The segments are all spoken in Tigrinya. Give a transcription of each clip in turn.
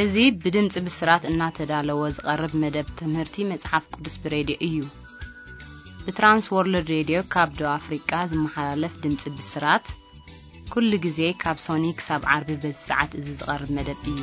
እዚ ብድምጺ ብስራት እናተዳለወ ዝቐርብ መደብ ትምህርቲ መጽሓፍ ቅዱስ ብሬድዮ እዩ። ብትራንስ ወርልድ ሬድዮ ካብ ደቡብ ኣፍሪቃ ዝመሓላለፍ ድምጺ ብስራት፣ ኩሉ ግዜ ካብ ሶኒ ክሳብ ዓርቢ በዚ ሰዓት እዚ ዝቐርብ መደብ እዩ።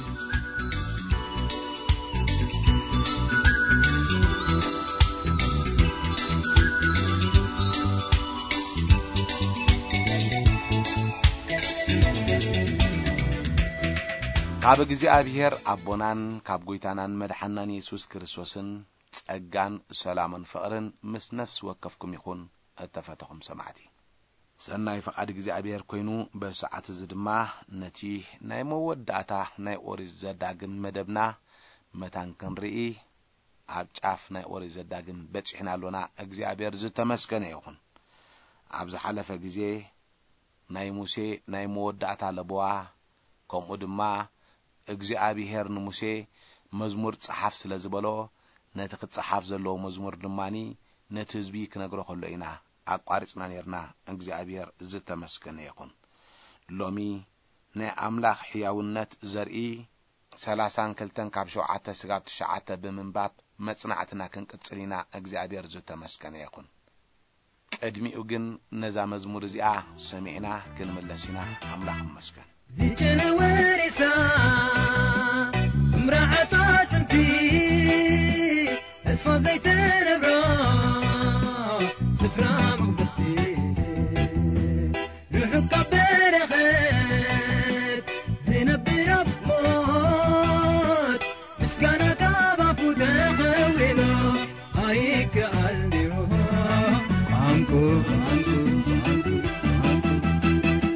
ካብ እግዚኣብሔር ኣቦናን ካብ ጐይታናን መድሓናን የሱስ ክርስቶስን ጸጋን ሰላምን ፍቕርን ምስ ነፍሲ ወከፍኩም ይኹን። እተፈተኹም ሰማዕቲ፣ ሰናይ ፍቓድ እግዚኣብሔር ኮይኑ፣ በሰዓት እዚ ድማ ነቲ ናይ መወዳእታ ናይ ኦሪት ዘዳግም መደብና መታን ክንርኢ ኣብ ጫፍ ናይ ኦሪት ዘዳግም በጺሕና ኣሎና። እግዚኣብሔር ዝተመስገነ ይኹን። ኣብ ዝሓለፈ ግዜ ናይ ሙሴ ናይ መወዳእታ ለበዋ፣ ከምኡ ድማ እግዚኣብሔር ንሙሴ መዝሙር ጸሓፍ ስለ ዝበሎ፣ ነቲ ክጸሓፍ ዘለዎ መዝሙር ድማኒ ነቲ ህዝቢ ክነግሮ ከሎ ኢና ኣቋሪጽና ኔርና። እግዚኣብሔር ዝተመስገነ ይኹን። ሎሚ ናይ ኣምላኽ ሕያውነት ዘርኢ ሰላሳን ክልተን ካብ ሸውዓተ ስጋብ ትሽዓተ ብምንባብ መጽናዕትና ክንቅጽል ኢና። እግዚኣብሔር ዝተመስገነ ይኹን። ቅድሚኡ ግን ነዛ መዝሙር እዚኣ ሰሚዕና ክንምለስ ኢና። ኣምላኽ ይመስገን። ዝጨነወ ሬሳ ምራዓት ኣጥንቲ ተስፋ ዘይተነብሮ ስፍራ መቕደስቲ ርሑቕ ካብ በረኸት ዝነብር ኣብ ሞት ምስጋና ካብ ኣፉ ተኸዊሉ ኣይከኣል ድዩ? ቋንቁ፣ ቋንቁ፣ ቋንቁ፣ ቋንቁ፣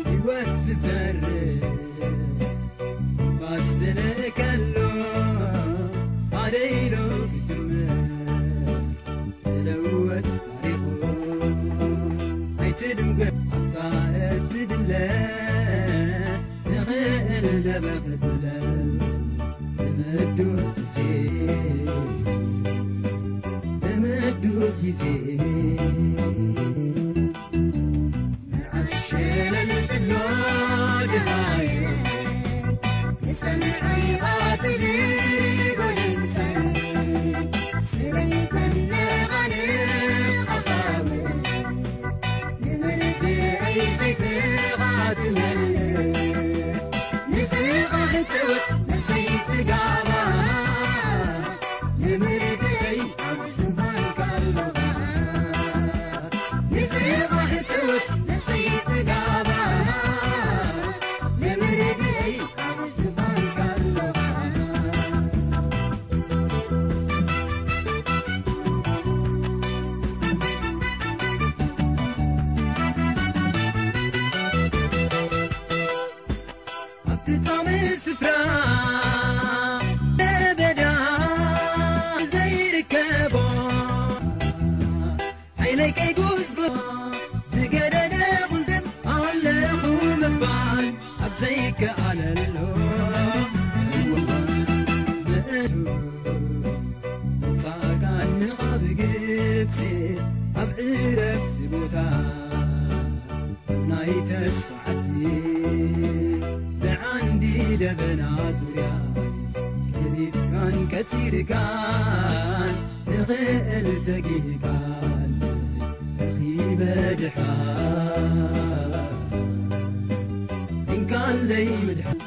ህይወት ዝዘርእ ትንፋስ ዝልእከሉ ሓደ ኢሉ ክጅምር ዝለወጥ ታሪኹ ኣይትድንጉዕ ኣብታ እትድለ ንኽእል ደበኽ ትብለ ንምዱ ግዜ ንምዱ ግዜ ንዓስ ሸለል ትብሎ ድሃዩ ንሰምዐይ ቓትል ጎደንተን ስረይተን ነቓንቕ ኣኻውል ንምርድኣይ ዘይትቓትመል ንስኻ ሕትወት ንሰይ ጽጋባ ንምርድኣይ ኣብ ዝባንካ ኣለኻ ንስኻ ሕትወት ንሰይ ጽጋባ ንምርድኣይ ኣብ ዝባንካ ኣለኻ ኣብቲ ጻምእ ስፍራ ለበዳ ዘይርከቦ ዓይነይ ከይጉዝጉ ዝገደደ ቁልድም ኣለኹ ምባል ኣብ ዘይከኣለሉ ምእቱ ጻቃን ንቓብ ግብጺ ኣብ ዕረፍቲ ቦታ ናይ ተስፋ ዓዲ ብዓንዲ ደበና ዙርያ ከቢብካን ቀጺርካን ንኽእል ተጊህካን ረኺበ ድሓን እንካለይ ምድሓን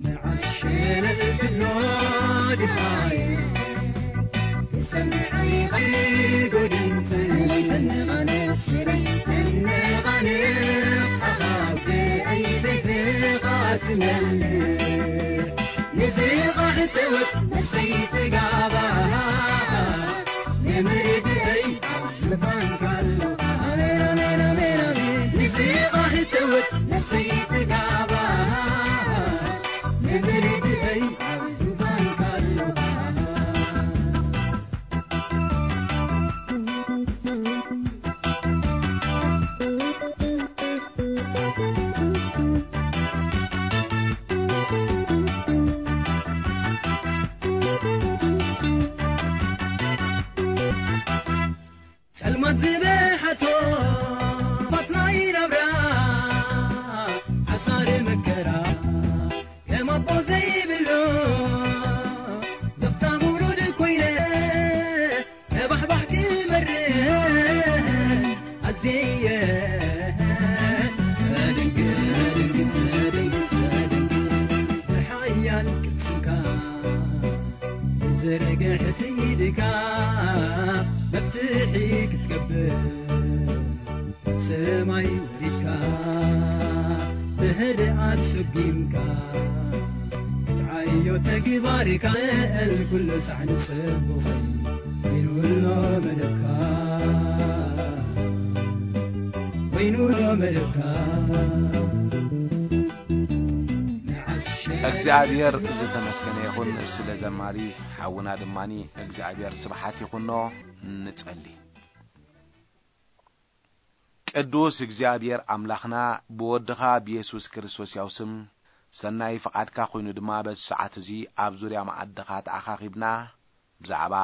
ንዓስ ሸለል ትብሎ ድሃይ ክሰምዐይ ቐይር ጎድንትን ንቓነ ሽረይ ሰነቓነ ኣኻውተይ ኣይሰይፍኻ ትመልእ ንስኻ ሕትወት ነሰይ ጽጋባ ንምርድኣይ ኣብ ዝባንካ ኣለኻ ንስኻ ሕትወት ነሰይ ጽጋባ ንምርድኣይ ኣብ ዝባንካ ኣለኻ ጸልማት ዝበሓቶ ፋት ናይ ናብራ ደጊምካ ክትዓዮ ተግባሪካ፣ ልዕል ኩሉ ሳዕ ንሰብኹ፣ ኢሉ ኣሎ መደብካ፣ ኮይኑ ኣሎ መደብካ። ንዓስ እግዚኣብሔር ዝተመስገነ ይኹን። ስለ ዘማሪ ሓውና ድማኒ እግዚኣብሔር ስብሓት ይኹኖ። ንጸሊ። ቅዱስ እግዚኣብሔር ኣምላኽና፣ ብወድኻ ብየሱስ ክርስቶስ ያው ስም ሰናይ ፍቓድካ ኮይኑ ድማ በዚ ሰዓት እዚ ኣብ ዙርያ መኣድኻ ተኣኻኺብና ብዛዕባ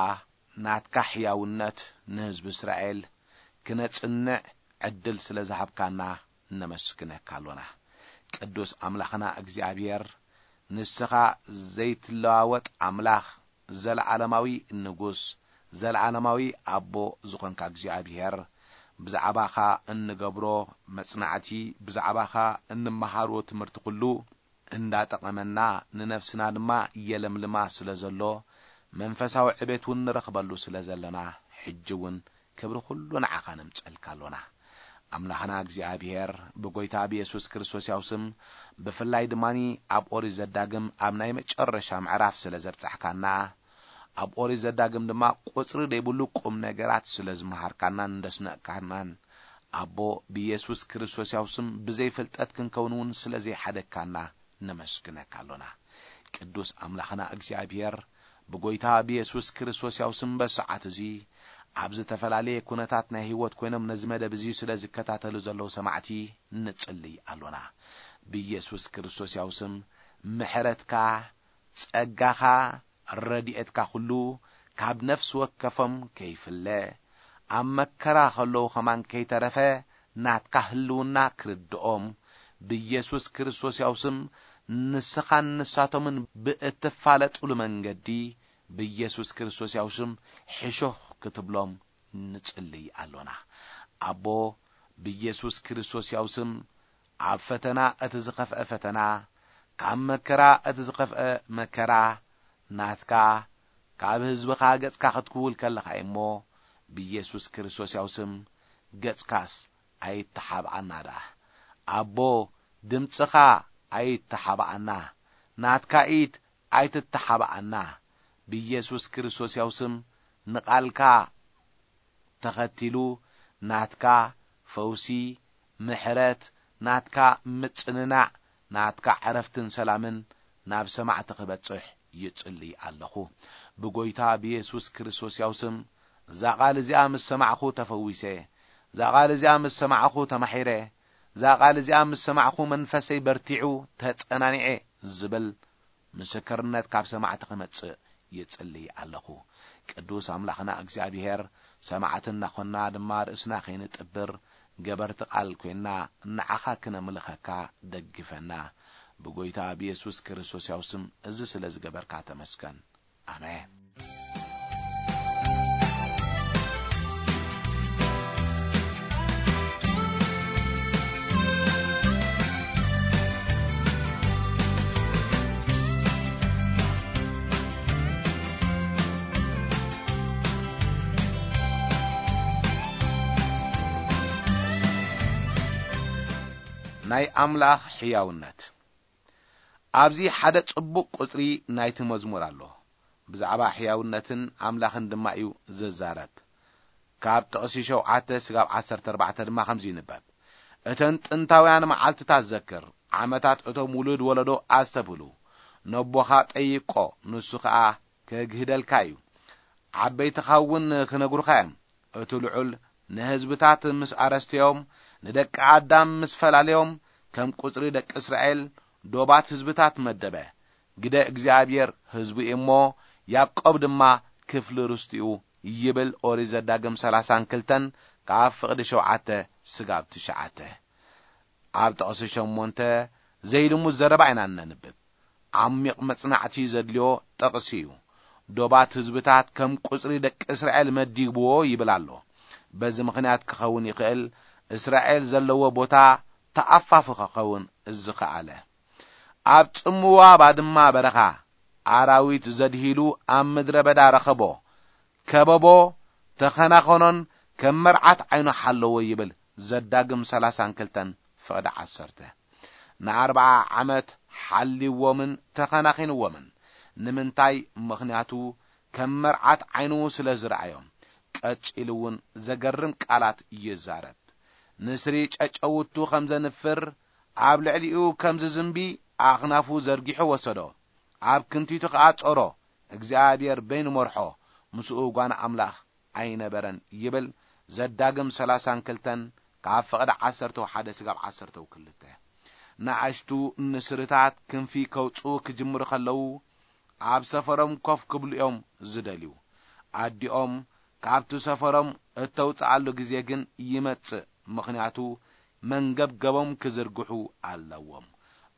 ናትካ ሕያውነት ንህዝቢ እስራኤል ክነጽንዕ ዕድል ስለ ዝሃብካና ነመስግነካ ኣሎና። ቅዱስ ኣምላኽና እግዚኣብሔር፣ ንስኻ ዘይትለዋወጥ ኣምላኽ፣ ዘለዓለማዊ ንጉስ፣ ዘለዓለማዊ ኣቦ ዝኾንካ እግዚኣብሔር፣ ብዛዕባኻ እንገብሮ መጽናዕቲ፣ ብዛዕባኻ እንመሃሮ ትምህርቲ ኩሉ እንዳጠቐመና፣ ንነፍስና ድማ የለምልማ ስለ ዘሎ፣ መንፈሳዊ ዕቤት እውን ንረኽበሉ ስለ ዘለና፣ ሕጂ እውን ክብሪ ኩሉ ንዓኻ ነምጸልካ ኣሎና። ኣምላኽና እግዚኣብሔር፣ ብጎይታ ብየሱስ ክርስቶስ ያው ስም፣ ብፍላይ ድማኒ ኣብ ኦሪት ዘዳግም ኣብ ናይ መጨረሻ ምዕራፍ ስለ ዘብጻሕካና፣ ኣብ ኦሪት ዘዳግም ድማ ቁጽሪ ዘይብሉ ቁም ነገራት ስለ ዝመሃርካናን እንደስነቕካናን፣ ኣቦ፣ ብየሱስ ክርስቶስ ያው ስም ብዘይ ፍልጠት ክንከውን እውን ስለ ዘይሓደግካና ነመስግነካ ኣሎና። ቅዱስ ኣምላኽና እግዚኣብሔር፣ ብጎይታ ብየሱስ ክርስቶስ ያው ስም በሰዓት እዚ ኣብ ዝተፈላለየ ኩነታት ናይ ህይወት ኮይኖም ነዚ መደብ እዚ ስለ ዝከታተሉ ዘለዉ ሰማዕቲ ንጽልይ ኣሎና። ብየሱስ ክርስቶስ ያው ስም ምሕረትካ፣ ጸጋኻ፣ ረድኤትካ ኩሉ ካብ ነፍሲ ወከፎም ከይፍለ፣ ኣብ መከራ ከለዉ ኸማን ከይተረፈ ናትካ ህልውና ክርድኦም፣ ብየሱስ ክርስቶስ ያው ስም ንስኻን ንሳቶምን ብእትፋለጡሉ መንገዲ፣ ብየሱስ ክርስቶስ ያው ስም ሕሹኽ ክትብሎም ንጽልይ ኣሎና። ኣቦ፣ ብየሱስ ክርስቶስ ያው ስም ኣብ ፈተና እቲ ዝኸፍአ ፈተና፣ ካብ መከራ እቲ ዝኸፍአ መከራ ናትካ፣ ካብ ህዝብኻ ገጽካ ክትክውል ከለኻ እሞ፣ ብየሱስ ክርስቶስ ያው ስም ገጽካስ ኣይተሓብኣና ደኣ። ኣቦ፣ ድምጽኻ ኣይተሓብኣና፣ ናትካ ኢድ ኣይትተሓብኣና። ብየሱስ ክርስቶስ ያው ስም ንቓልካ ተኸቲሉ ናትካ ፈውሲ፣ ምሕረት፣ ናትካ ምጽንናዕ፣ ናትካ ዕረፍትን ሰላምን ናብ ሰማዕቲ ክበጽሕ ይጽሊ ኣለኹ። ብጎይታ ብየሱስ ክርስቶስ ያው ስም እዛ ቓል እዚኣ ምስ ሰማዕኹ ተፈዊሰ፣ እዛ ቓል እዚኣ ምስ ሰማዕኹ ተማሒረ፣ እዛ ቓል እዚኣ ምስ ሰማዕኹ መንፈሰይ በርቲዑ ተጸናኒዐ ዝብል ምስክርነት ካብ ሰማዕቲ ክመጽእ ይጽሊ ኣለኹ። ቅዱስ ኣምላኽና እግዚኣብሔር፣ ሰማዕቲ እናኾንና ድማ ርእስና ከይንጥብር፣ ገበርቲ ቃል ኮይንና ንዓኻ ክነምልኸካ ደግፈና። ብጎይታ ብየሱስ ክርስቶስ ያው ስም እዚ ስለ ዝገበርካ ተመስገን። ኣሜን። ናይ ኣምላኽ ሕያውነት። ኣብዚ ሓደ ጽቡቕ ቁጽሪ ናይቲ መዝሙር ኣሎ። ብዛዕባ ሕያውነትን ኣምላኽን ድማ እዩ ዝዛረብ። ካብ ጥቕሲ ሸውዓተ ስጋብ ዓሰርተ ኣርባዕተ ድማ ከምዚ ይንበብ። እተን ጥንታውያን መዓልትታት ዘክር፣ ዓመታት እቶም ውሉድ ወለዶ ኣስተብህሉ። ነቦኻ ጠይቆ፣ ንሱ ኸኣ ከግህደልካ እዩ። ዓበይትኻ እውን ክነግሩኻ እዮም። እቲ ልዑል ንህዝብታት ምስ ኣረስተዮም፣ ንደቂ ኣዳም ምስ ፈላለዮም፣ ከም ቁጽሪ ደቂ እስራኤል ዶባት ህዝብታት መደበ። ግደ እግዚኣብሔር ህዝቡ እዩ እሞ፣ ያዕቆብ ድማ ክፍሊ ርስቱ እዩ ይብል ኦሪት ዘዳግም ሰላሳን ክልተን ካብ ፍቕዲ ሸውዓተ ስጋብ ትሽዓተ። ኣብ ጥቕሲ ሸሞንተ ዘይልሙድ ዘረባ ኢና እነንብብ። ዓሚቕ መጽናዕቲ ዘድልዮ ጥቕሲ እዩ። ዶባት ህዝብታት ከም ቁጽሪ ደቂ እስራኤል መዲብዎ ይብል ኣሎ። በዚ ምኽንያት ክኸውን ይኽእል፣ እስራኤል ዘለዎ ቦታ ተኣፋፊ ክኸውን ዝኸኣለ። ኣብ ጽምዋ ባድማ በረኻ፣ ኣራዊት ዘድሂሉ ኣብ ምድረ በዳ ረኸቦ፣ ከበቦ፣ ተኸናኸኖን ከም መርዓት ዓይኑ ሓለዎ ይብል ዘዳግም ሰላሳን ክልተን ፍቕዲ ዓሰርተ። ንኣርብዓ ዓመት ሓልይዎምን ተኸናኺንዎምን። ንምንታይ? ምኽንያቱ ከም መርዓት ዓይኑ ስለ ዝረኣዮም። ቀጺሉ እውን ዘገርም ቃላት ይዛረብ። ንስሪ ጨጨውቱ ከም ዘንፍር፣ ኣብ ልዕሊኡ ከም ዝዝንቢ ኣኽናፉ ዘርጊሑ ወሰዶ። ኣብ ክንቲቱ ከኣ ጾሮ፣ እግዚኣብሔር በይኑ መርሖ፣ ምስኡ ጓና ኣምላኽ ኣይነበረን ይብል። ዘዳግም ሰላሳን ክልተን ካብ ፍቕዲ ዓሰርተው ሓደ ስጋብ ዓሰርተው ክልተ። ንኣሽቱ ንስርታት ክንፊ ከውጽኡ ክጅምሩ ከለዉ፣ ኣብ ሰፈሮም ኮፍ ክብሉ እዮም ዝደልዩ። ኣዲኦም ካብቲ ሰፈሮም እተውጽኣሉ ግዜ ግን ይመጽእ፣ ምኽንያቱ መንገብገቦም ክዝርግሑ ኣለዎም።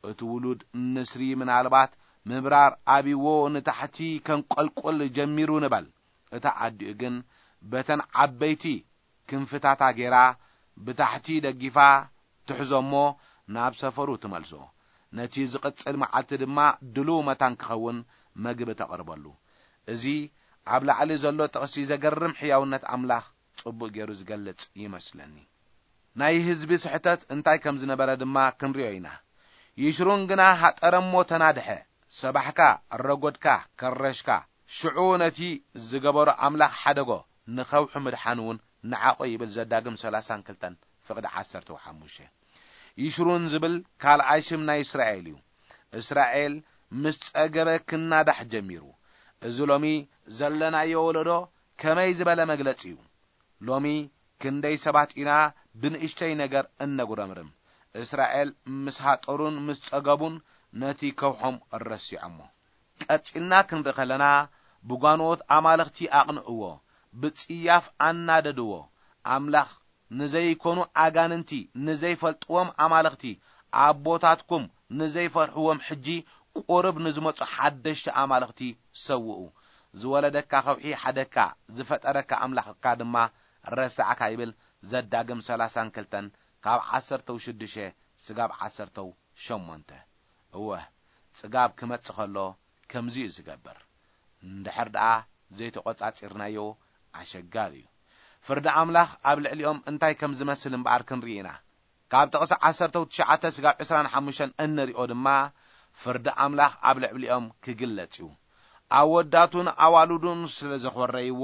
እቲ ውሉድ ንስሪ ምናልባት ምብራር ኣብይዎ ንታሕቲ ከንቆልቁል ጀሚሩ ንበል። እታ ኣዲኡ ግን በተን ዓበይቲ ክንፍታታ ጌራ ብታሕቲ ደጊፋ ትሕዞ እሞ ናብ ሰፈሩ ትመልሶ። ነቲ ዝቕጽል መዓልቲ ድማ ድሉው መታን ክኸውን መግቢ ተቕርበሉ። እዚ ኣብ ላዕሊ ዘሎ ጥቕሲ ዘገርም ሕያውነት ኣምላኽ ጽቡቕ ገይሩ ዝገልጽ ይመስለኒ። ናይ ህዝቢ ስሕተት እንታይ ከም ዝነበረ ድማ ክንሪኦ ኢና። ይሽሩን ግና ሃጠረ እሞ ተናድሐ። ሰባሕካ፣ ረጎድካ፣ ከረሽካ። ሽዑ ነቲ ዝገበሮ ኣምላኽ ሓደጎ፣ ንኸውሒ ምድሓን እውን ንዓቖ ይብል ዘዳግም ሰላሳን ክልተን ፍቕዲ ዓሰርተ ሓሙሽተ። ይሽሩን ዝብል ካልኣይ ሽም ናይ እስራኤል እዩ። እስራኤል ምስ ጸገበ ክናዳሕ ጀሚሩ። እዚ ሎሚ ዘለናዮ ወለዶ ከመይ ዝበለ መግለጺ እዩ? ሎሚ ክንደይ ሰባት ኢና ብንእሽተይ ነገር እነጉረምርም? እስራኤል ምስ ሃጠሩን ምስ ጸገቡን ነቲ ከውሖም ረሲዖሞ። ቀጺልና ክንርኢ ከለና፣ ብጓንኦት ኣማልኽቲ ኣቕንእዎ፣ ብጽያፍ ኣናደድዎ። ኣምላኽ ንዘይኮኑ ኣጋንንቲ፣ ንዘይፈልጥዎም ኣማልኽቲ፣ ኣቦታትኩም ንዘይፈርሕዎም ሕጂ ቁሩብ ንዝመጹ ሓደሽቲ ኣማልኽቲ ሰውኡ። ዝወለደካ ከውሒ ሓደካ፣ ዝፈጠረካ ኣምላኽካ ድማ ረሳዕካ ይብል ዘዳግም ሰላሳን ክልተን ካብ ዓሰርተው ሽዱሽተ ስጋብ ዓሰርተው ሸሞንተ። እወ፣ ጽጋብ ክመጽእ ከሎ ከምዚ እዩ ዝገብር። እንድሕር ደኣ ዘይተቖጻጺርናዮ ኣሸጋሪ እዩ። ፍርዲ ኣምላኽ ኣብ ልዕሊኦም እንታይ ከም ዝመስል እምበኣር ክንርኢ ኢና። ካብ ጥቕሲ ዓሰርተው ትሽዓተ ስጋብ ዕስራን ሓሙሽተን እንሪኦ ድማ፣ ፍርዲ ኣምላኽ ኣብ ልዕሊኦም ክግለጽ እዩ። ኣወዳቱን ኣዋልዱን ስለ ዘኾረይዎ፣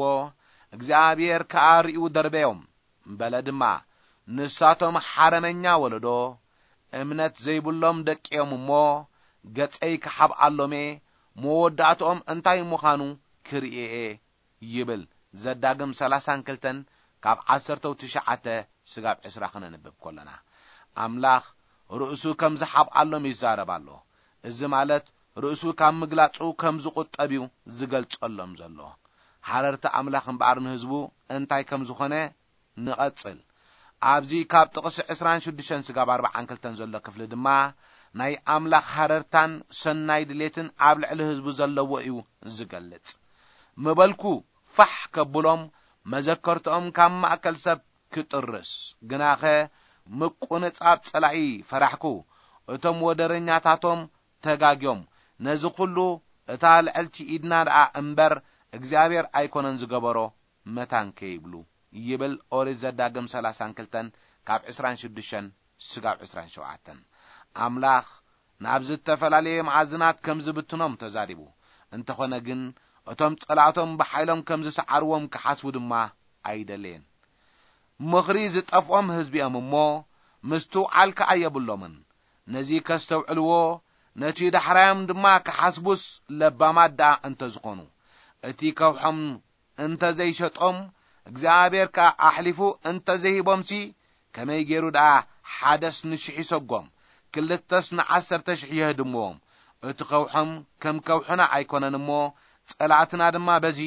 እግዚኣብሔር ከኣ ርእዩ ደርበዮም። በለ ድማ፣ ንሳቶም ሓረመኛ ወለዶ፣ እምነት ዘይብሎም ደቂ እዮም እሞ፣ ገጸይ ክሓብኣሎም እየ፣ መወዳእትኦም እንታይ ምዃኑ ክርኢ እየ ይብል። ዘዳግም ሰላሳን ክልተን ካብ ዓሰርተው ትሽዓተ ስጋብ ዕስራ ክነንብብ ከለና፣ ኣምላኽ ርእሱ ከም ዝሓብኣሎም ይዛረብ ኣሎ። እዚ ማለት ርእሱ ካብ ምግላጹ ከም ዝቑጠብ እዩ ዝገልጸሎም ዘሎ። ሓረርቲ ኣምላኽ እምበኣር ንህዝቡ እንታይ ከም ዝኾነ ንቐጽል። ኣብዚ ካብ ጥቕሲ ዕስራን ሽዱሽተን ስጋብ ኣርብዓን ክልተን ዘሎ ክፍሊ ድማ ናይ ኣምላኽ ሃረርታን ሰናይ ድሌትን ኣብ ልዕሊ ህዝቡ ዘለዎ እዩ ዝገልጽ። ምበልኩ ፋሕ ከብሎም፣ መዘከርትኦም ካብ ማእከል ሰብ ክጥርስ። ግናኸ ምቁንጻብ ጸላኢ ፈራሕኩ። እቶም ወደረኛታቶም ተጋግዮም። ነዚ ኹሉ እታ ልዕልቲ ኢድና ደኣ እምበር እግዚኣብሔር ኣይኮነን ዝገበሮ፣ መታን ከይብሉ ይብል ኦሪት ዘዳግም ሰላሳን ክልተን ካብ ዕስራን ሽዱሽተን ስጋብ ዕስራን ሸውዓተን። ኣምላኽ ናብ ዝተፈላለየ መኣዝናት ከም ዝብትኖም ተዛሪቡ። እንተኾነ ግን እቶም ጸላእቶም ብሓይሎም ከም ዝሰዓርዎም ክሓስቡ ድማ ኣይደለየን። ምኽሪ ዝጠፍኦም ህዝቢ እዮም እሞ ምስትውዓል ከኣ የብሎምን። ነዚ ከስተውዕልዎ፣ ነቲ ዳሕራዮም ድማ ክሓስቡስ ለባማት ደኣ እንተ ዝኾኑ፣ እቲ ከውሖም እንተ ዘይሸጦም፣ እግዚኣብሔር ከኣ ኣሕሊፉ እንተ ዘይሂቦምሲ፣ ከመይ ገይሩ ደኣ ሓደስ ንሽሕ ይሰጎም፣ ክልተስ ንዓሰርተ ሽሕ የህድምዎም? እቲ ከውሖም ከም ከውሕና ኣይኮነን እሞ፣ ጸላእትና ድማ በዚ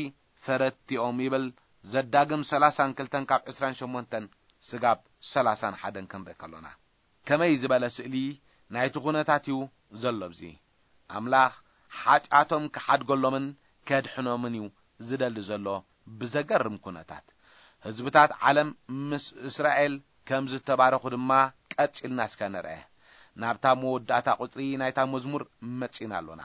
ፈረድቲኦም ይብል። ዘዳግም ሰላሳን ክልተን ካብ ዕስራን ሸሞንተን ስጋብ ሰላሳን ሓደን ክንርኢ ከሎና፣ ከመይ ዝበለ ስእሊ ናይቲ ኩነታት እዩ ዘሎ ኣብዚ። ኣምላኽ ሓጢኣቶም ክሓድገሎምን ከድሕኖምን እዩ ዝደሊ ዘሎ ብዘገርም ኩነታት። ህዝብታት ዓለም ምስ እስራኤል ከም ዝተባረኹ ድማ ቀጺልና እስከ ንርአ። ናብታ መወዳእታ ቁጽሪ ናይታ መዝሙር መጺና ኣሎና።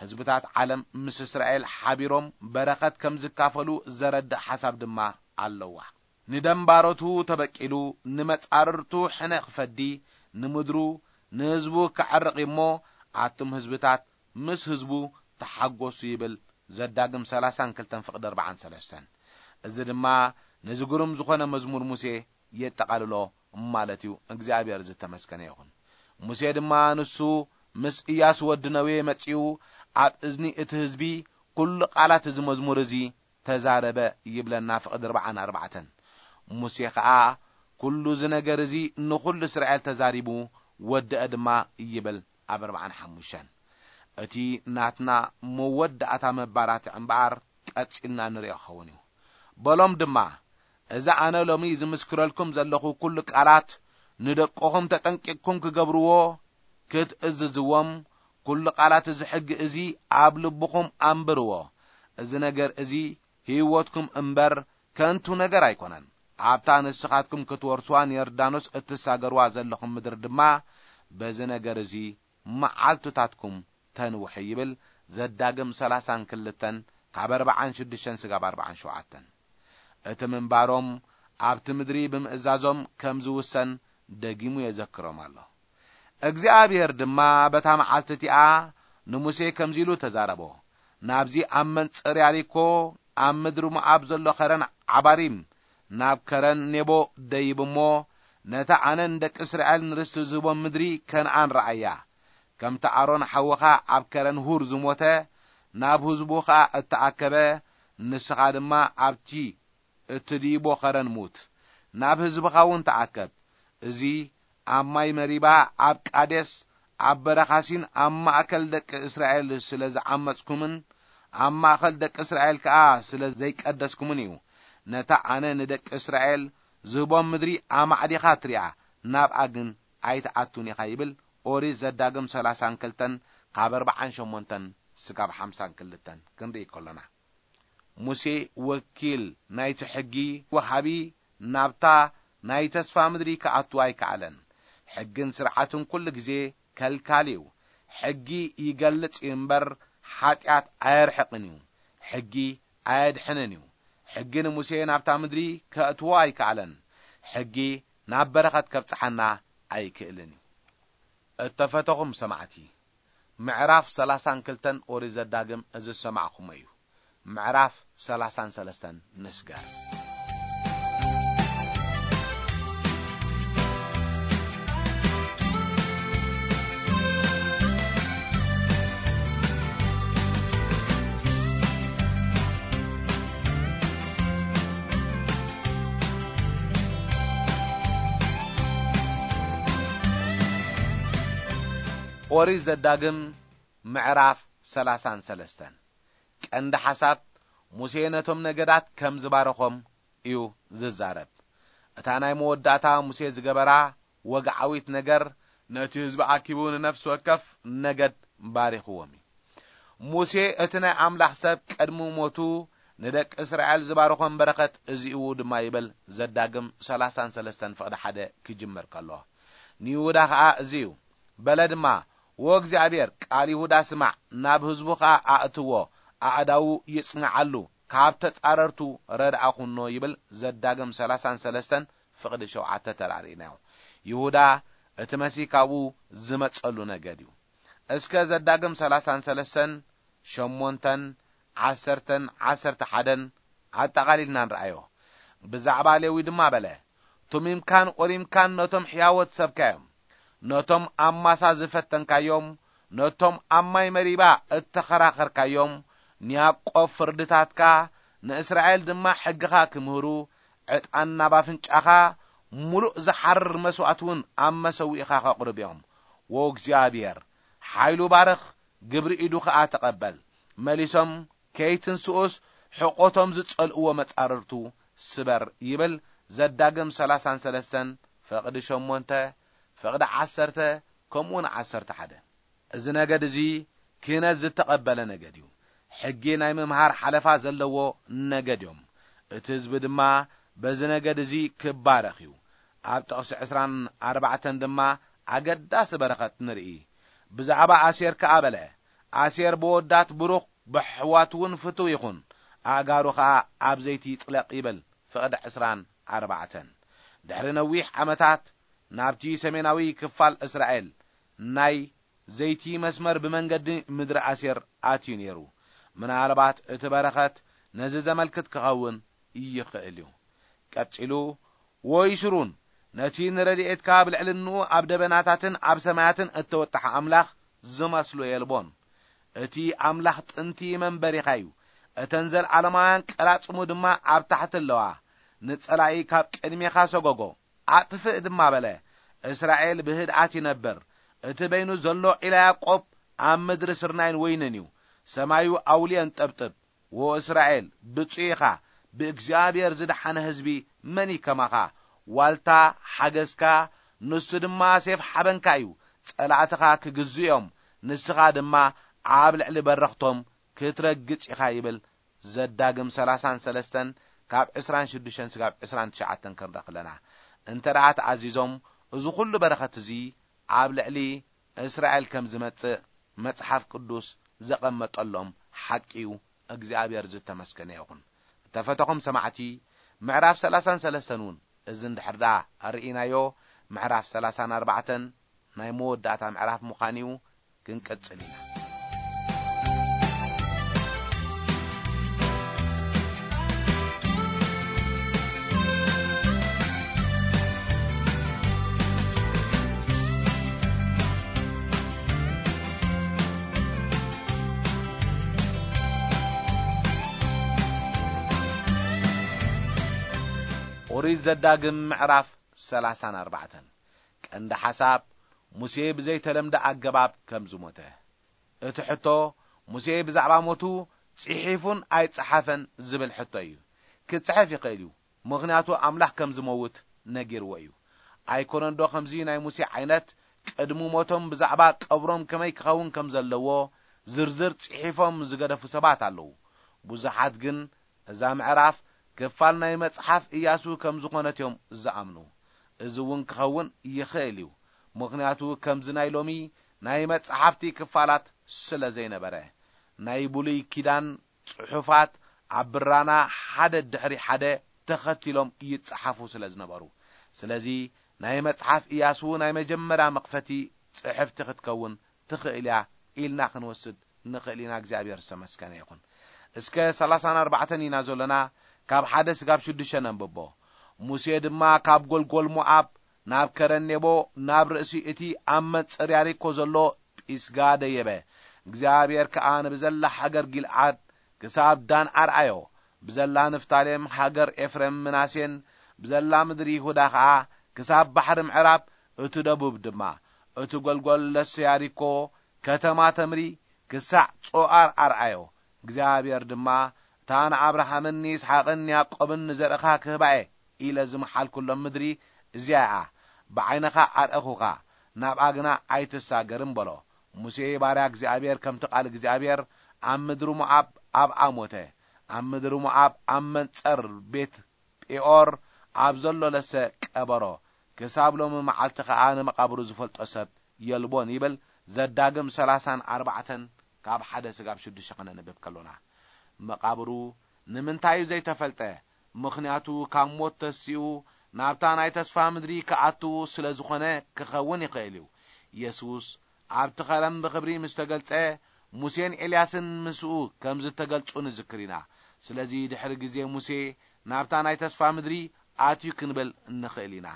ህዝብታት ዓለም ምስ እስራኤል ሓቢሮም በረኸት ከም ዝካፈሉ ዘረድእ ሓሳብ ድማ ኣለዋ። ንደንባሮቱ ተበቂሉ፣ ንመጻርርቱ ሕነ ክፈዲ፣ ንምድሩ ንህዝቡ ከዕርቕ እሞ፣ ኣቱም ህዝብታት ምስ ህዝቡ ተሓጎሱ ይብል ዘዳግም ሰላሳን ክልተን ፍቕዲ ኣርባዓን ሰለስተን። እዚ ድማ ነዚ ግሩም ዝኾነ መዝሙር ሙሴ የጠቓልሎ ማለት እዩ። እግዚኣብሔር ዝተመስገነ ይኹን። ሙሴ ድማ ንሱ ምስ ኢያሱ ወዲ ነዌ መጺኡ ኣብ እዝኒ እቲ ህዝቢ ኩሉ ቃላት እዚ መዝሙር እዚ ተዛረበ ይብለና ፍቕዲ ኣርባዓን ኣርባዕተን። ሙሴ ኸኣ ኩሉ እዚ ነገር እዚ ንኹሉ እስራኤል ተዛሪቡ ወደአ ድማ ይብል ኣብ ኣርባዓን ሓሙሽተን። እቲ ናትና መወዳእታ መባራትዒ እምበኣር ቀጺልና ንሪኦ ክኸውን እዩ። በሎም ድማ፣ እዚ ኣነ ሎሚ ዝምስክረልኩም ዘለኹ ኩሉ ቃላት ንደቅኹም ተጠንቂቕኩም ክገብርዎ ክትእዝዝዎም፣ ኩሉ ቃላት እዚ ሕጊ እዚ ኣብ ልብኹም ኣንብርዎ። እዚ ነገር እዚ ህይወትኩም እምበር ከንቱ ነገር ኣይኮነን። ኣብታ ንስኻትኩም ክትወርሱዋ ንዮርዳኖስ እትሳገርዋ ዘለኹም ምድሪ ድማ በዚ ነገር እዚ መዓልትታትኩም ተንውሑ ይብል ዘዳግም ሰላሳን ክልተን ካብ ኣርባዓን ሽዱሽተን ስጋብ ኣርባዓን ሸውዓተን። እቲ ምንባሮም ኣብቲ ምድሪ ብምእዛዞም ከም ዝውሰን ደጊሙ የዘክሮም ኣሎ። እግዚኣብሔር ድማ በታ መዓልቲ እቲኣ ንሙሴ ከምዚ ኢሉ ተዛረቦ። ናብዚ ኣብ መንጽር ያሪኮ ኣብ ምድሪ ሞዓብ ዘሎ ኸረን ዓባሪም ናብ ከረን ኔቦ ደይብ እሞ ነታ ኣነ ንደቂ እስራኤል ንርስቲ ዝህቦም ምድሪ ከነኣን ረኣያ። ከምቲ ኣሮን ሓውኻ ኣብ ከረን ሁር ዝሞተ ናብ ህዝቡ ኸኣ እተኣከበ ንስኻ ድማ ኣብቲ እትድይቦ ኸረን ሙት። ናብ ህዝብኻ እውን ተኣከብ። እዚ ኣብ ማይ መሪባ ኣብ ቃዴስ ኣብ በረኻ ሲን ኣብ ማእከል ደቂ እስራኤል ስለ ዝዓመጽኩምን ኣብ ማእከል ደቂ እስራኤል ከኣ ስለ ዘይቀደስኩምን እዩ። ነታ ኣነ ንደቂ እስራኤል ዝህቦም ምድሪ ኣማዕዲኻ ትሪኣ፣ ናብኣ ግን ኣይትኣቱን ኢኻ ይብል ኦሪት ዘዳግም ሰላሳን ክልተን ካብ ኣርባዓን ሸሞንተን ስጋብ ሓምሳን ክልተን ክንርኢ ከሎና። ሙሴ ወኪል ናይቲ ሕጊ ወሃቢ ናብታ ናይ ተስፋ ምድሪ ክኣቱ ኣይከኣለን። ሕግን ስርዓትን ኩሉ ግዜ ከልካል እዩ። ሕጊ ይገልጽ እዩ እምበር ሓጢኣት ኣየርሕቕን እዩ። ሕጊ ኣየድሕንን እዩ። ሕጊ ንሙሴ ናብታ ምድሪ ከእትዎ ኣይከኣለን። ሕጊ ናብ በረኸት ከብጽሓና ኣይክእልን እዩ። እተፈተኹም ሰማዕቲ፣ ምዕራፍ ሰላሳን ክልተን ኦሪት ዘዳግም እዚ ዝሰማዕኹሞ እዩ። ምዕራፍ ሰላሳን ሰለስተን ንስገር። ኦሪት ዘዳግም ምዕራፍ ሰላሳን ሰለስተን። ቀንዲ ሓሳብ፣ ሙሴ ነቶም ነገዳት ከም ዝባረኾም እዩ ዝዛረብ። እታ ናይ መወዳእታ ሙሴ ዝገበራ ወግዓዊት ነገር፣ ነቲ ህዝቢ ኣኪቡ ንነፍሲ ወከፍ ነገድ ባሪኽዎም እዩ። ሙሴ እቲ ናይ ኣምላኽ ሰብ ቅድሚ ሞቱ ንደቂ እስራኤል ዝባረኾም በረኸት እዚኡ ድማ ይብል ዘዳግም ሰላሳን ሰለስተን ፍቕዲ ሓደ ክጅምር ከሎ። ንይሁዳ ኸኣ እዚ እዩ። በለ ድማ፣ "ወእግዚኣብሔር ቃል ይሁዳ ስማዕ፣ ናብ ህዝቡ ኸኣ ኣእትዎ፣ ኣእዳዉ ይጽንዓሉ፣ ካብ ተጻረርቱ ረድኣ ኩኖ" ይብል ዘዳግም ሰላሳን ሰለስተን ፍቕዲ ሸውዓተ ተራእሪእናዮ። ይሁዳ እቲ መሲህ ካብኡ ዝመጸሉ ነገድ እዩ። እስከ ዘዳግም ሰላሳን ሰለስተን፣ ሸሞንተን፣ ዓሰርተን፣ ዓሰርተ ሓደን ኣጠቓሊልና ንርኣዮ። ብዛዕባ ሌዊ ድማ በለ፣ "ቱሚምካን ኦሪምካን ነቶም ሕያዎት ሰብካ እዮም። ነቶም ኣብ ማሳ ዝፈተንካዮም፣ ነቶም ኣብ ማይ መሪባ እተኸራኸርካዮም፣ ንያዕቆብ ፍርድታትካ፣ ንእስራኤል ድማ ሕግኻ ክምህሩ፣ ዕጣን ናብ ኣፍንጫኻ፣ ምሉእ ዝሓርር መስዋእቲ እውን ኣብ መሰውኢኻ ከቕርብ እዮም። ወእግዚኣብሔር፣ ሓይሉ ባርኽ፣ ግብሪ ኢዱ ኸኣ ተቐበል።" መሊሶም፣ "ከይትንስኡስ፣ ሕቖቶም ዝጸልእዎ መጻርርቱ ስበር" ይብል ዘዳግም ሰላሳን ሰለስተን ፍቕዲ ሸሞንተ፣ ፍቕዲ ዓሰርተ፣ ከምኡውን ዓሰርተ ሓደ። እዚ ነገድ እዚ ክህነት ዝተቐበለ ነገድ እዩ። ሕጊ ናይ ምምሃር ሓለፋ ዘለዎ ነገድ እዮም። እቲ ህዝቢ ድማ በዚ ነገድ እዚ ክባረኽ እዩ። ኣብ ጥቕሲ ዕስራን ኣርባዕተን ድማ ኣገዳሲ በረኸት ንርኢ። ብዛዕባ ኣሴር ከኣ በለ፣ "ኣሴር ብወዳት ብሩኽ፣ ብኣሕዋቱ እውን ፍቱው ይኹን፣ ኣእጋሩ ኸኣ ኣብ ዘይቲ ይጥለቕ" ይብል ፍቕዲ ዕስራን ኣርባዕተን። ድሕሪ ነዊሕ ዓመታት ናብቲ ሰሜናዊ ክፋል እስራኤል ናይ ዘይቲ መስመር ብመንገዲ ምድሪ ኣሴር ኣትዩ ነይሩ። ምናልባት እቲ በረኸት ነዚ ዘመልክት ክኸውን ይኽእል እዩ። ቀጺሉ፣ "ወይስሩን ነቲ ንረድኤትካ ኣብ ልዕሊ እንኡ ኣብ ደበናታትን ኣብ ሰማያትን እተወጠሐ ኣምላኽ ዝመስሎ የልቦን። እቲ ኣምላኽ ጥንቲ መንበሪኻ እዩ። እተን ዘለዓለማውያን ቀላጽሙ ድማ ኣብ ታሕቲ ኣለዋ። ንጸላኢ ካብ ቅድሜኻ ሰጎጎ፣ ኣጥፍእ ድማ" በለ። እስራኤል ብህድኣት ይነብር። እቲ በይኑ ዘሎ ዒላ ያዕቆብ ኣብ ምድሪ ስርናይን ወይንን እዩ። ሰማዩ ኣውልየን ጠብጥብ። "ዎ እስራኤል፣ ብፁዕ ኢኻ፣ ብእግዚኣብሔር ዝደሓነ ህዝቢ መን እዩ ከማኻ? ዋልታ ሓገዝካ፣ ንሱ ድማ ሴፍ ሓበንካ እዩ። ጸላእትኻ ክግዝኡ እዮም፣ ንስኻ ድማ ኣብ ልዕሊ በረኽቶም ክትረግጽ ኢኻ" ይብል። ዘዳግም ሠላሳን ሠለስተን ካብ ዕስራን ሽዱሽተን ስጋብ ዕስራን ትሽዓተን ክንረኽ ኣለና። እንተ ደኣ ተኣዚዞም፣ እዚ ኹሉ በረኸት እዚ ኣብ ልዕሊ እስራኤል ከም ዝመጽእ መጽሓፍ ቅዱስ ዘቐመጠሎም ሓቂ እዩ። እግዚኣብሔር ዝተመስገነ ይኹን። እተፈተኹም ሰማዕቲ፣ ምዕራፍ ሠላሳን ሠለስተን እውን እዚ እንድሕር ደኣ ኣርእናዮ፣ ምዕራፍ ሠላሳን ኣርባዕተን ናይ መወዳእታ ምዕራፍ ምዃን እዩ። ክንቅጽል ኢና። ኦሪት ዘዳግም ምዕራፍ ሠላሳን ኣርባዕተን። ቀንዲ ሓሳብ፣ ሙሴ ብዘይተለምደ ኣገባብ ከም ዝሞተ። እቲ ሕቶ፣ ሙሴ ብዛዕባ ሞቱ ጽሒፉን ኣይጸሓፈን ዝብል ሕቶ እዩ። ክጽሕፍ ይኽእል እዩ፣ ምኽንያቱ ኣምላኽ ከም ዝመውት ነጊርዎ እዩ። ኣይኮነንዶ ከምዚ ናይ ሙሴ ዓይነት ቅድሚ ሞቶም ብዛዕባ ቀብሮም ከመይ ክኸውን ከም ዘለዎ ዝርዝር ጽሒፎም ዝገደፉ ሰባት ኣለዉ። ብዙሓት ግን እዛ ምዕራፍ ክፋል ናይ መጽሓፍ ኢያሱ ከም ዝኾነት እዮም ዝኣምኑ። እዚ እውን ክኸውን ይኽእል እዩ፣ ምኽንያቱ ከምዚ ናይ ሎሚ ናይ መጽሓፍቲ ክፋላት ስለ ዘይነበረ። ናይ ብሉይ ኪዳን ጽሑፋት ኣብ ብራና ሓደ ድሕሪ ሓደ ተኸቲሎም ይጸሓፉ ስለ ዝነበሩ። ስለዚ ናይ መጽሓፍ ኢያሱ ናይ መጀመርያ መኽፈቲ ጽሕፍቲ ክትከውን ትኽእል እያ ኢልና ክንወስድ ንኽእል ኢና። እግዚኣብሔር ዝተመስገነ ይኹን። እስከ ሠላሳን ኣርባዕተን ኢና ዘለና፣ ካብ ሓደ ስጋብ ሽዱሽተ ነንብቦ። ሙሴ ድማ ካብ ጐልጐል ሞኣብ ናብ ከረን ኔቦ፣ ናብ ርእሲ እቲ ኣብ መንጽር ያሪኮ ዘሎ ጲስጋ ደየበ። እግዚኣብሔር ከኣ ንብዘላ ሃገር ጊልዓድ ክሳብ ዳን ኣርኣዮ። ብዘላ ንፍታሌም፣ ሃገር ኤፍሬም፣ ምናሴን፣ ብዘላ ምድሪ ይሁዳ ኸኣ ክሳብ ባሕሪ ምዕራብ፣ እቲ ደቡብ ድማ፣ እቲ ጐልጐል ለሰ ያሪኮ፣ ከተማ ተምሪ፣ ክሳዕ ጾኣር ኣርኣዮ። እግዚኣብሔር ድማ፣ "እታ ንኣብርሃምን ንይስሓቅን ንያዕቆብን ንዘርእኻ ክህባ እየ" ኢለ ዝመሓልኩሎም ምድሪ እዚኣ እያ። ብዓይንኻ ኣርኣኹኻ፣ ናብኣ ግና ኣይትሳገርን በሎ። ሙሴ ባርያ እግዚኣብሔር ከምቲ ቃል እግዚኣብሔር ኣብ ምድሪ ሞዓብ ኣብኣ ሞተ። ኣብ ምድሪ ሞዓብ ኣብ መንጸር ቤት ጴኦር ኣብ ዘሎ ለሰ ቀበሮ። ክሳብ ሎሚ መዓልቲ ኸኣ ንመቓብሩ ዝፈልጦ ሰብ የልቦን ይብል። ዘዳግም ሠላሳን ኣርባዕተን ካብ ሓደ ስጋብ ሽዱሽተ ኸነንብብ ከሎና። መቓብሩ ንምንታይ እዩ ዘይተፈልጠ? ምኽንያቱ ካብ ሞት ተሲኡ ናብታ ናይ ተስፋ ምድሪ ክኣቱ ስለ ዝኾነ ክኸውን ይኽእል እዩ። የሱስ ኣብቲ ኸረን ብኽብሪ ምስ ተገልጸ፣ ሙሴን ኤልያስን ምስኡ ከም ዝተገልጹ ንዝክር ኢና። ስለዚ ድሕሪ ግዜ ሙሴ ናብታ ናይ ተስፋ ምድሪ ኣትዩ ክንብል እንኽእል ኢና።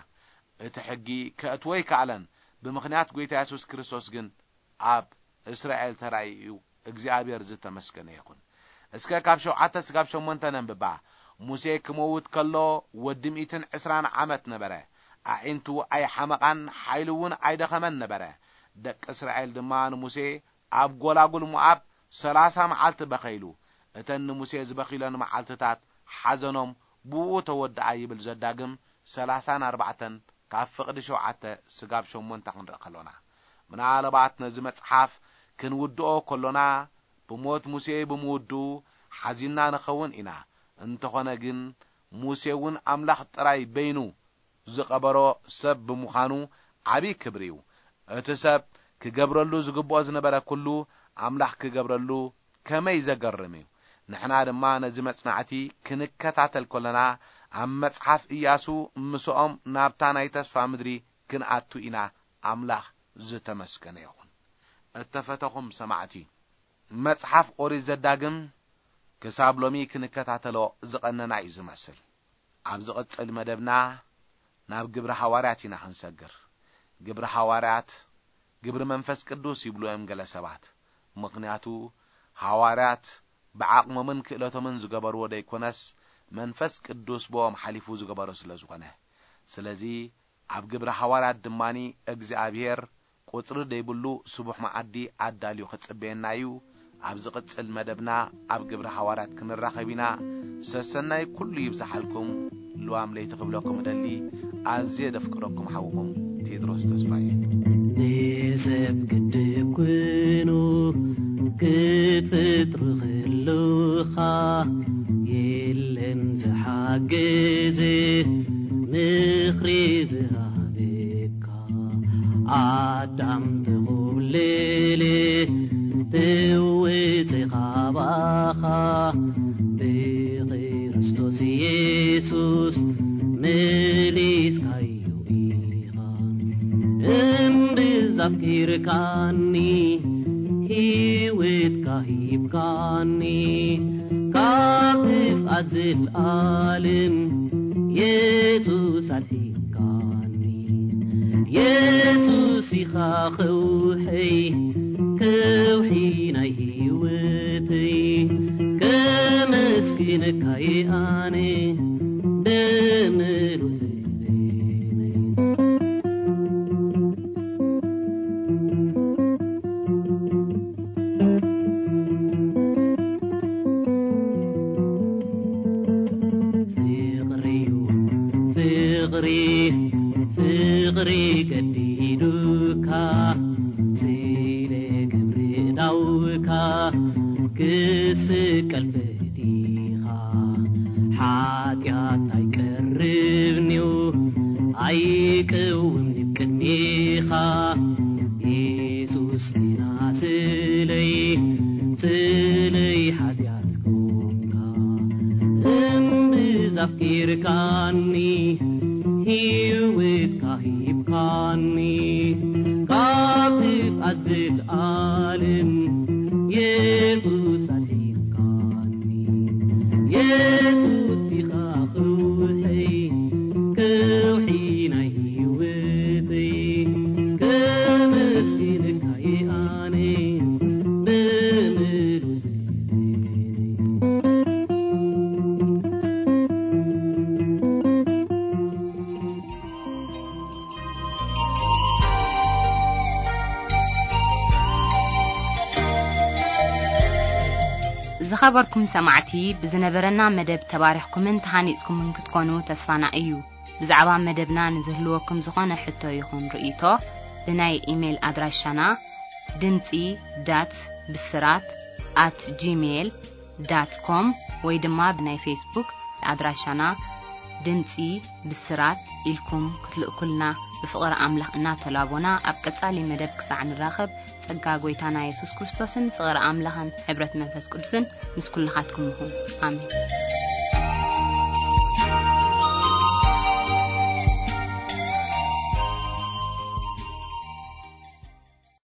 እቲ ሕጊ ከእትዎ ኣይከኣለን፣ ብምኽንያት ጐይታ የሱስ ክርስቶስ ግን ኣብ እስራኤል ተራእዩ እዩ። እግዚኣብሔር ዝተመስገነ ይኹን። እስከ ካብ ሸውዓተ ስጋብ ሸሞንተ ነንብባ። ሙሴ ክመውት ከሎ ወዲ ሚእትን ዕስራን ዓመት ነበረ። ኣዒንቱ ኣይሓመቓን፣ ሓይሉ እውን ኣይደኸመን ነበረ። ደቂ እስራኤል ድማ ንሙሴ ኣብ ጐላጉል ሞኣብ ሠላሳ መዓልቲ በኸይሉ። እተን ንሙሴ ዝበኺለን መዓልትታት ሓዘኖም ብኡ ተወድኣ ይብል ዘዳግም ሠላሳን ኣርባዕተን ካብ ፍቕዲ ሸውዓተ ስጋብ ሸሞንተ ክንርኢ ከሎና። ምናልባት ነዚ መጽሓፍ ክንውድኦ ከሎና ብሞት ሙሴ ብምውድኡ ሓዚንና ንኸውን ኢና። እንተኾነ ግን ሙሴ እውን ኣምላኽ ጥራይ በይኑ ዝቐበሮ ሰብ ብምዃኑ ዓብዪ ክብሪ እዩ። እቲ ሰብ ክገብረሉ ዝግብኦ ዝነበረ ኩሉ ኣምላኽ ክገብረሉ ከመይ ዘገርም እዩ። ንሕና ድማ ነዚ መጽናዕቲ ክንከታተል ከለና ኣብ መጽሓፍ ኢያሱ ምስኦም ናብታ ናይ ተስፋ ምድሪ ክንኣቱ ኢና ኣምላኽ ዝተመስገነ ይኹን። እተፈተኹም ሰማዕቲ፣ መጽሓፍ ኦሪት ዘዳግም ክሳብ ሎሚ ክንከታተሎ ዝቐነና እዩ ዝመስል። ኣብ ዝቕጽል መደብና ናብ ግብሪ ሃዋርያት ኢና ክንሰግር። ግብሪ ሃዋርያት፣ ግብሪ መንፈስ ቅዱስ ይብሉ እዮም ገለ ሰባት። ምኽንያቱ ሃዋርያት ብዓቕሞምን ክእለቶምን ዝገበርዎ ደይኮነስ፣ መንፈስ ቅዱስ ብኦም ሓሊፉ ዝገበሮ ስለ ዝኾነ። ስለዚ ኣብ ግብሪ ሃዋርያት ድማኒ እግዚኣብሔር ቁጽሪ ደይብሉ ስቡሕ መዓዲ ኣዳልዩ ክጽበየና እዩ። ኣብ ዝቕጽል መደብና ኣብ ግብሪ ሃዋርያት ክንራኸብ ኢና። ሰሰናይ ኩሉ ይብዝሓልኩም። ልዋም ለይቲ ክብለኩም እደሊ። ኣዝየ ደፍቅረኩም ሓውኹም ቴድሮስ ተስፋየ። ንሰብ ክትኩኑ ክትፈጥሩ ከለኻ የለን ዝሓግዝ ምኽሪ ዝሃበካ። ኣዳም ተኾብለለ ተወፀ ካባኻ ብክርስቶስ ኢየሱስ መሊስካዮ ኢኻ። እምብዛ ኣፍቂርካኒ ህይወትካ ሂብካኒ ካብ ጥፍኣት ዘልኣለም የሱስ ኣድሒንካኒ። የሱስ ኢኻ ከውሐይ ከውሒ ናይ ህይወተይ ከመስግነካ እየ ኣነ ብምሉእ ፍቕሪ ፍቕሪ ፍቕሪ ገዲዱካ ስለ ግብሪ ዳውካ ክስቀል ፈቲኻ ሓጢኣት ኣይቀርብንዩ ኣይቅውም ንብ ቅድሜኻ ኢየሱስ ዲና ስለይ ስለይ ሓጢኣት ኮንካ እምብዛ ኣፍቂርካኒ ህይወትካ ሂብካኒ ካብ ጥፍኣት ዘልኣለም የሱስ ኣድሒንካኒ። የሱስ ኢኻ ከውሐይ ከውሒ ናይ ህይወተይ ከመስግነካ እየ ኣነ ብምሉእ ዝኸበርኩም ሰማዕቲ፣ ብዝነበረና መደብ ተባሪኽኩምን ተሃኒጽኩምን ክትኮኑ ተስፋና እዩ። ብዛዕባ መደብና ንዝህልወኩም ዝኾነ ሕቶ ይኹን ርእይቶ፣ ብናይ ኢሜይል ኣድራሻና ድምጺ ዳት ብስራት ኣት ጂሜይል ዳት ኮም ወይ ድማ ብናይ ፌስቡክ ኣድራሻና ድምጺ ብስራት ኢልኩም ክትልእኩልና ብፍቕሪ ኣምላኽ እናተላቦና፣ ኣብ ቀጻሊ መደብ ክሳዕ ንራኸብ፣ ጸጋ ጐይታና የሱስ ክርስቶስን ፍቕሪ ኣምላኽን ሕብረት መንፈስ ቅዱስን ምስ ኩልኻትኩም ይኹን። ኣሜን።